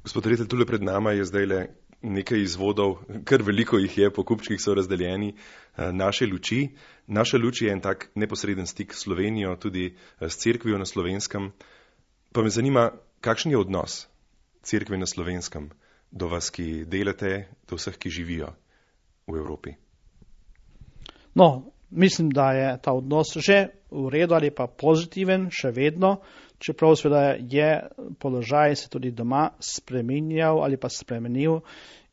Gospod reditelj, tule pred nama je zdaj le nekaj izvodov, kar veliko jih je, po kupčkih so razdeljeni, naše luči. Naša luč je en tak neposreden stik s Slovenijo, tudi s cerkvijo na Slovenskem. Pa me zanima, kakšen je odnos cerkve na Slovenskem do vas, ki delate, do vseh, ki živijo v Evropi? No, mislim, da je ta odnos že v redu ali pa pozitiven, še vedno, čeprav seveda je položaj se tudi doma spreminjal ali pa spremenil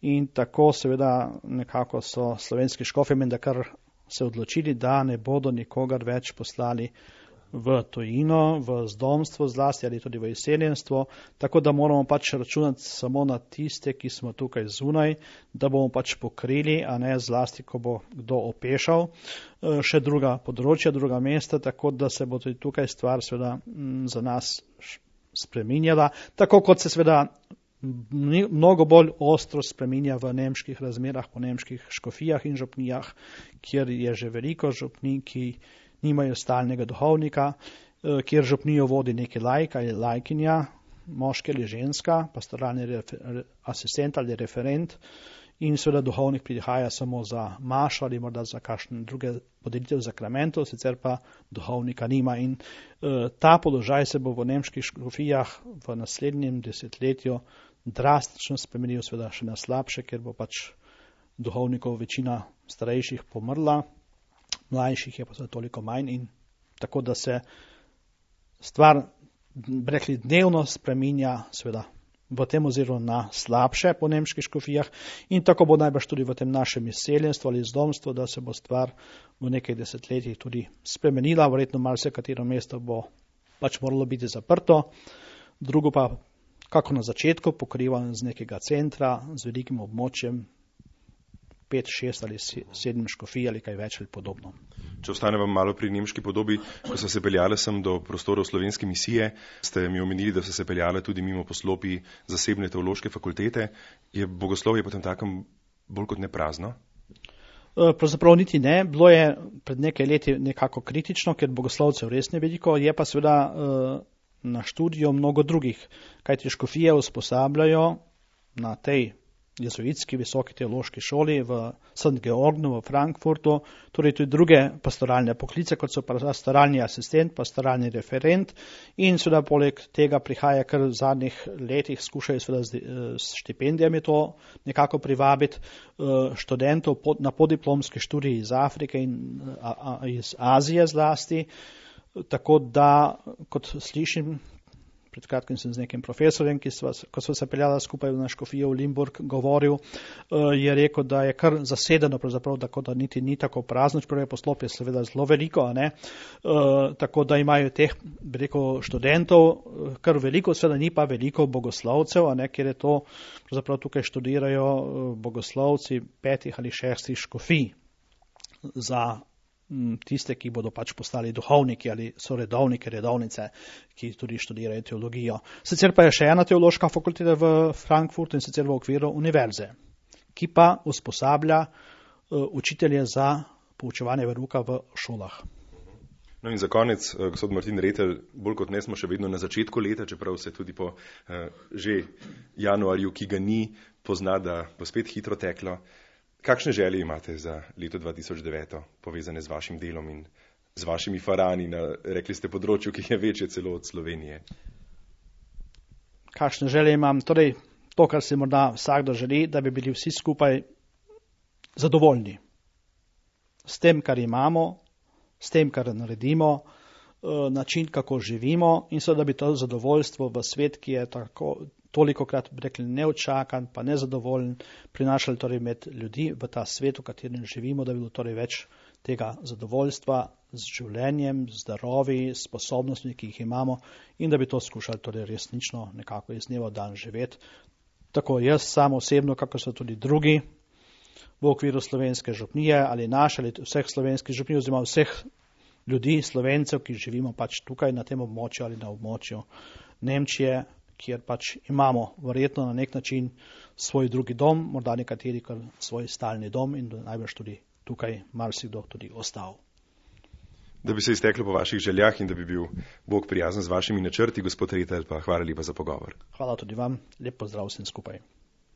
in tako seveda nekako so slovenski škofi menda kar se odločili, da ne bodo nikogar več poslali v tujino, v zdomstvo zlasti ali tudi v izseljenstvo, tako da moramo pač računati samo na tiste, ki smo tukaj zunaj, da bomo pač pokrili, a ne zlasti, ko bo kdo opešal, še druga področja, druga mesta, tako da se bo tudi tukaj stvar seveda za nas spreminjala, tako kot se seveda mnogo bolj ostro spreminja v nemških razmerah, po nemških škofijah in župnijah, kjer je že veliko župnij, ki nimajo stalnega duhovnika, kjer župnijo vodi neki laik ali laikinja, moški ali ženska, pastoralni asistent ali referent in seveda duhovnik prihaja samo za mašo ali morda za kakšne druge podelitev zakramentov, sicer pa duhovnika nima in ta položaj se bo v nemških škofijah v naslednjem desetletju drastično spremenil, seveda še na slabše, ker bo pač duhovnikov večina starejših pomrla, mlajših je pa seveda toliko manj in tako da se stvar, rekli, dnevno spreminja seveda v tem oziru na slabše po nemških škofijah in tako bo najbrž tudi v tem našem izseljenstvu ali zdomstvu, da se bo stvar v nekaj desetletjih tudi spremenila, verjetno marsikatero mesto bo pač moralo biti zaprto, drugo pa, kako na začetku, pokrivan z nekega centra, z velikim območjem, 5, 6 ali 7 škofij ali kaj več ali podobno. Če ostanemo malo pri nemški podobi, ko so se peljale sem do prostorov slovenske misije, ste mi omenili, da so se peljale tudi mimo poslopij zasebne teološke fakultete. Je bogoslovje potem takem bolj kot ne prazno? Pravzaprav niti ne. Bilo je pred nekaj leti nekako kritično, ker bogoslovcev res ne veliko, je pa seveda na študiju mnogo drugih, kajti škofije usposabljajo na tej jezuitski visoki teološki šoli v St. Georgnu v Frankfurtu, torej tudi druge pastoralne poklice, kot so pastoralni asistent, pastoralni referent in seveda poleg tega prihaja, kar v zadnjih letih skušajo seveda s štipendijami to nekako privabiti študentov na podiplomski študiji iz Afrike in iz Azije zlasti, tako da, kot slišim, pred kratkim sem z nekim profesorjem, ko sva se peljala skupaj na škofijo v Limburg, govoril, je rekel, da je kar zasedeno, pravzaprav, tako da niti ni tako prazno, čeprav je poslopje seveda zelo veliko, a ne? Tako da imajo teh, bi rekel, študentov kar veliko, seveda ni pa veliko bogoslovcev, a ne? Ker je to, pravzaprav tukaj študirajo bogoslovci 5 ali 6 škofij za tiste, ki bodo pač postali duhovniki ali so redovniki, redovnice, ki tudi študirajo teologijo. Sicer pa je še ena teološka fakulteta v Frankfurtu in sicer v okviru univerze, ki pa usposablja učitelje za poučevanje verouka v šolah. No in za konec, gospod Martin Retelj, bolj kot ne smo še vedno na začetku leta, čeprav se tudi po že januarju, ki ga ni, pozna, da bo spet hitro teklo. Kakšne želje imate za leto 2009, povezane z vašim delom in z vašimi farani na, rekli ste, področju, ki je večje celo od Slovenije? Kakšne želje imam? Torej, to, kar si morda vsakdo želi, da bi bili vsi skupaj zadovoljni s tem, kar imamo, s tem, kar naredimo, način, kako živimo in so, da bi to zadovoljstvo v svet, ki je tolikokrat rekli neočakan, pa nezadovoljen, prinašali torej med ljudi v ta svet, v katerem živimo, da bi bilo torej več tega zadovoljstva z življenjem, zdravi, sposobnostmi, ki jih imamo in da bi to skušali torej resnično nekako iz dneva v dan živeti. Tako jaz sam osebno, kako so tudi drugi v okviru slovenske župnije ali naše ali vseh slovenskih župnij oziroma vseh ljudi, Slovencev, ki živimo pač tukaj na tem območju ali na območju Nemčije, kjer pač imamo verjetno na nek način svoj drugi dom, morda nekateri kar svoj stalni dom in najbrž tudi tukaj marsikdo tudi ostal. Da bi se izteklo po vaših željah in da bi bil Bog prijazen z vašimi načrti, gospod Retelj, pa hvala lepa za pogovor. Hvala tudi vam, lep pozdrav vsem skupaj.